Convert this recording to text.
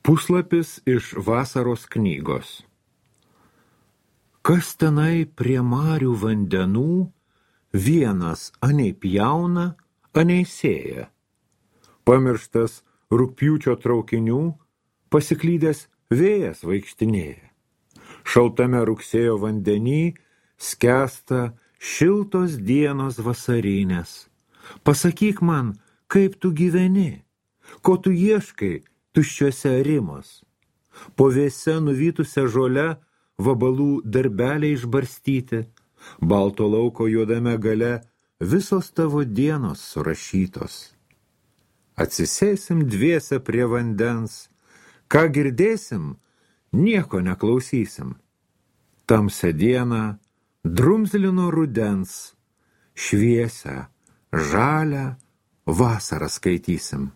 Puslapis iš vasaros knygos. Kas tenai prie marių vandenų, vienas anei pjauna, anei sėja. Pamirštas rugpjūčio traukinių, pasiklydęs vėjas vaikštinėja. Šaltame rugsėjo vandenį skęsta šiltos dienos vasarinės. Pasakyk man, kaip tu gyveni, ko tu ieškai tuščiuose arimas. Po vėse nuvytusią žolę vabalų darbeliai išbarstyti, balto lauko juodame gale visos tavo dienos surašytos. Atsisėsim dviese prie vandens, ką girdėsim, nieko neklausysim. Tamsią dieną drumzlino rudens, šviesią, žalią vasarą skaitysim.